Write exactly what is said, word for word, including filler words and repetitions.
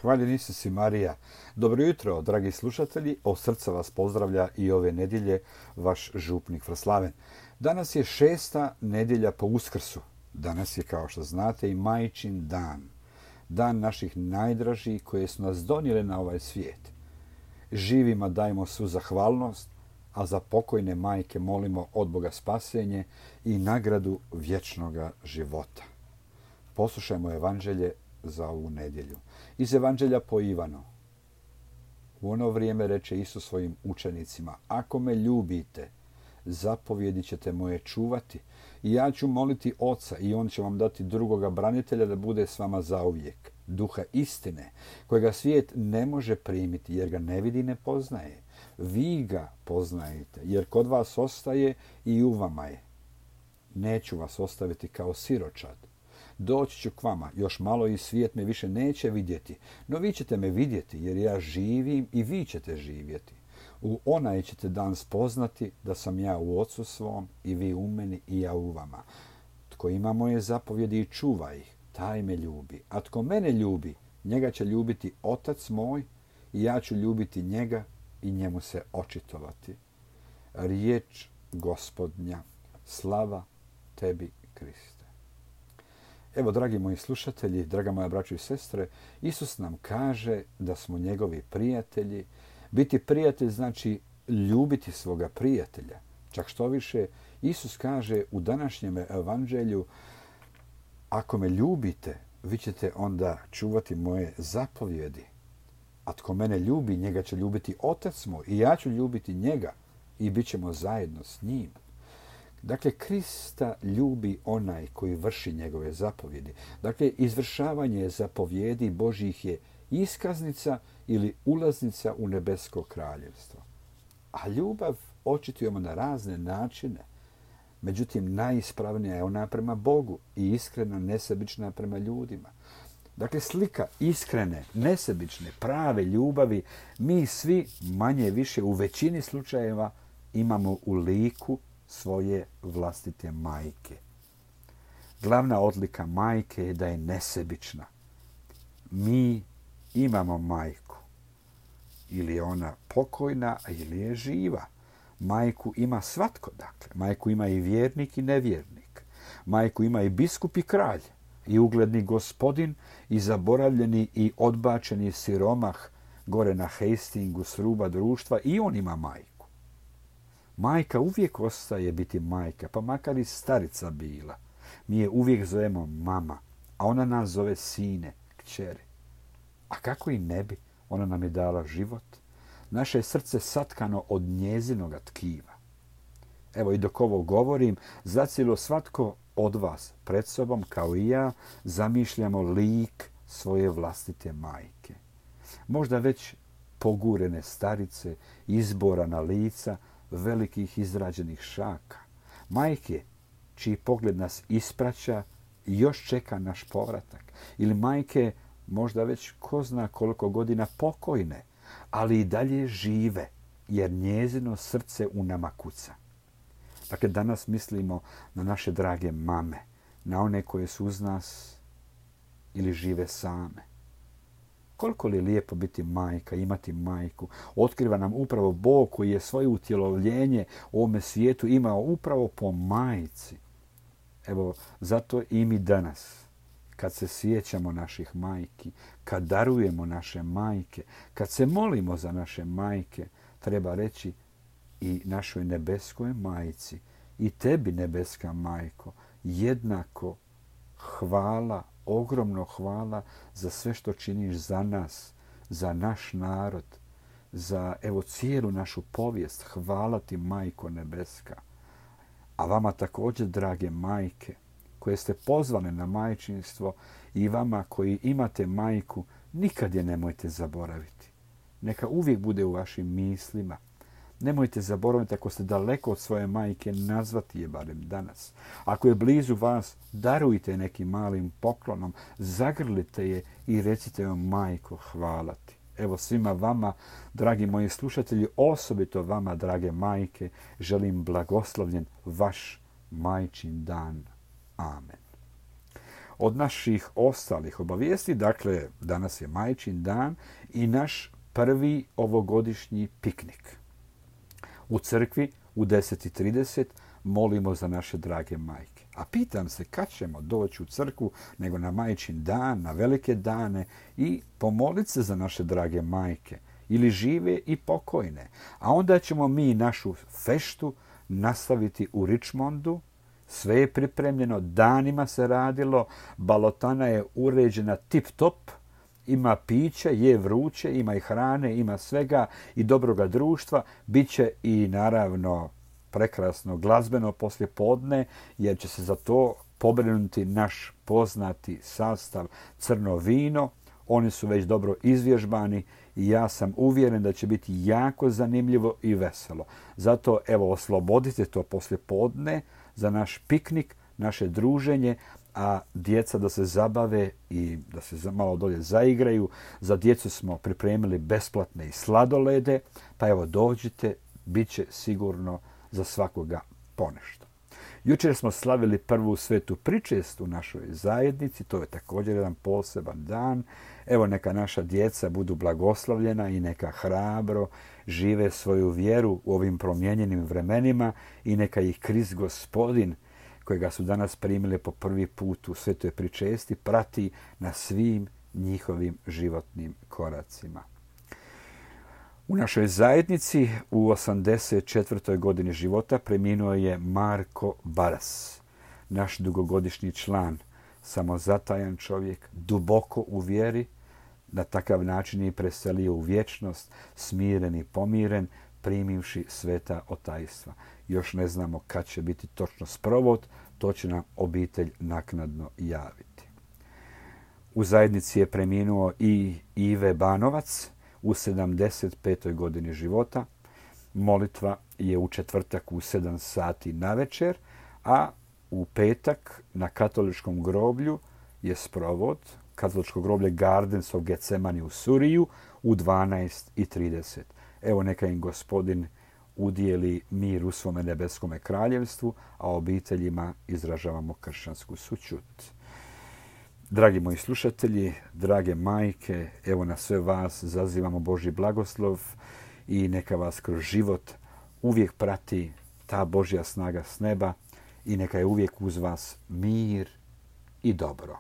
Hvaljen Isus i Marija. Dobro jutro, dragi slušatelji. Od srca vas pozdravlja i ove nedjelje vaš župnik Vraslaven. Danas je šesta nedjelja po Uskrsu. Danas je, kao što znate, i Majčin dan. Dan naših najdražih koje su nas donijele na ovaj svijet. Živima dajmo svu zahvalnost, a za pokojne majke molimo od Boga spasenje i nagradu vječnoga života. Poslušajmo evanđelje za ovu nedjelju. Iz evanđelja po Ivanu. U ono vrijeme reče Isus svojim učenicima: ako me ljubite, zapovjedi ćete moje čuvati i ja ću moliti Oca i on će vam dati drugoga branitelja da bude s vama zauvijek, duha istine, kojega svijet ne može primiti jer ga ne vidi i ne poznaje. Vi ga poznajete jer kod vas ostaje i u vama je. Neću vas ostaviti kao siročad. Doći ću k vama, još malo i svijet me više neće vidjeti, no vi ćete me vidjeti jer ja živim i vi ćete živjeti. U onaj ćete dan spoznati da sam ja u Ocu svom i vi u meni i ja u vama. Tko ima moje zapovjedi i čuva ih, taj me ljubi. A tko mene ljubi, njega će ljubiti Otac moj i ja ću ljubiti njega i njemu se očitovati. Riječ Gospodnja, slava tebi, Kriste. Evo, dragi moji slušatelji, draga moja braćo i sestre, Isus nam kaže da smo njegovi prijatelji. Biti prijatelj znači ljubiti svoga prijatelja. Čak što više, Isus kaže u današnjem evanđelju: ako me ljubite, vi ćete onda čuvati moje zapovjedi. A tko mene ljubi, njega će ljubiti Otac moj i ja ću ljubiti njega i bit ćemo zajedno s njim. Dakle, Krista ljubi onaj koji vrši njegove zapovjedi. Dakle, izvršavanje zapovjedi Božjih je iskaznica ili ulaznica u nebesko kraljevstvo. A ljubav očitujemo na razne načine. Međutim, najispravnija je ona prema Bogu i iskrena, nesebična prema ljudima. Dakle, slika iskrene, nesebične, prave ljubavi mi svi manje više u većini slučajeva imamo u liku svoje vlastite majke. Glavna odlika majke je da je nesebična. Mi imamo majku. Ili je ona pokojna, ili je živa. Majku ima svatko, dakle. Majku ima i vjernik i nevjernik. Majku ima i biskup i kralj. I ugledni gospodin i zaboravljeni i odbačeni siromah gore na Hastingu s ruba društva. I on ima majku. Majka uvijek ostaje biti majka, pa makar i starica bila. Mi je uvijek zovemo mama, a ona nas zove sine, kćeri. A kako i ne bi, ona nam je dala život. Naše je srce satkano od njezinoga tkiva. Evo, i dok ovo govorim, zacijelo svatko od vas pred sobom, kao i ja, zamišljamo lik svoje vlastite majke. Možda već pogurene starice, izborana lica, velikih izrađenih šaka. Majke čiji pogled nas ispraća i još čeka naš povratak. Ili majke možda već ko zna koliko godina pokojne, ali i dalje žive jer njezino srce u nama kuca. Dakle, danas mislimo na naše drage mame, na one koje su uz nas ili žive same. Koliko li je lijepo biti majka, imati majku. Otkriva nam upravo Bog koji je svoje utjelovljenje u ovome svijetu imao upravo po majci. Evo, zato i mi danas, kad se sjećamo naših majki, kad darujemo naše majke, kad se molimo za naše majke, treba reći i našoj nebeskoj majci, i tebi, nebeska majko, jednako hvala, ogromno hvala za sve što činiš za nas, za naš narod, za evo cijelu našu povijest. Hvala ti, Majko nebeska. A vama također, drage majke, koje ste pozvane na majčinstvo, i vama koji imate majku, nikad je nemojte zaboraviti. Neka uvijek bude u vašim mislima. Nemojte zaboraviti, ako ste daleko od svoje majke, nazvati je barem danas. Ako je blizu vas, darujte nekim malim poklonom, zagrlite je i recite joj: majko, hvala ti. Evo, svima vama, dragi moji slušatelji, osobito vama, drage majke, želim blagoslovljen vaš majčin dan. Amen. od naših ostalih obavijesti, dakle, danas je Majčin dan i naš prvi ovogodišnji piknik. U crkvi u deset i trideset molimo za naše drage majke. A pitam se kad ćemo doći u crkvu nego na Majčin dan, na velike dane i pomoliti se za naše drage majke, ili žive i pokojne. A onda ćemo mi našu feštu nastaviti u Richmondu. Sve je pripremljeno, danima se radilo, balotana je uređena tip top, ima piće, je vruće, ima i hrane, ima svega i dobroga društva. Biće i naravno prekrasno glazbeno poslijepodne, jer će se za to pobrinuti naš poznati sastav Crno vino. Oni su već dobro izvježbani i ja sam uvjeren da će biti jako zanimljivo i veselo. Zato evo oslobodite to poslijepodne za naš piknik, naše druženje, a djeca da se zabave i da se malo dolje zaigraju. Za djecu smo pripremili besplatne i sladolede, pa evo dođite, bit će sigurno za svakoga ponešto. Jučer smo slavili prvu svetu pričest u našoj zajednici, to je također jedan poseban dan. Evo neka naša djeca budu blagoslovljena i neka hrabro žive svoju vjeru u ovim promijenjenim vremenima i neka ih Krist Gospodin, kojega su danas primili po prvi put u svetoj pričesti, prati na svim njihovim životnim koracima. U našoj zajednici u osamdeset četvrtoj godini života preminuo je Marko Baras, naš dugogodišnji član, samozatajan čovjek, duboko u vjeri, na takav način je preselio u vječnost, smiren i pomiren, primivši sveta otajstva. Još ne znamo kad će biti točno sprovod, to će nam obitelj naknadno javiti. U zajednici je preminuo i Ive Banovac u sedamdeset petoj godini života. Molitva je u četvrtak u sedam sati na večer, a u petak na katoličkom groblju je sprovod, katoličko groblje Gardens of Gethsemane u Suriju u dvanaest i trideset. Evo neka im Gospodin udijeli mir u svome nebeskome kraljevstvu, a obiteljima izražavamo kršćansku sućut. Dragi moji slušatelji, drage majke, evo na sve vas zazivamo Božji blagoslov i neka vas kroz život uvijek prati ta Božja snaga s neba i neka je uvijek uz vas mir i dobro.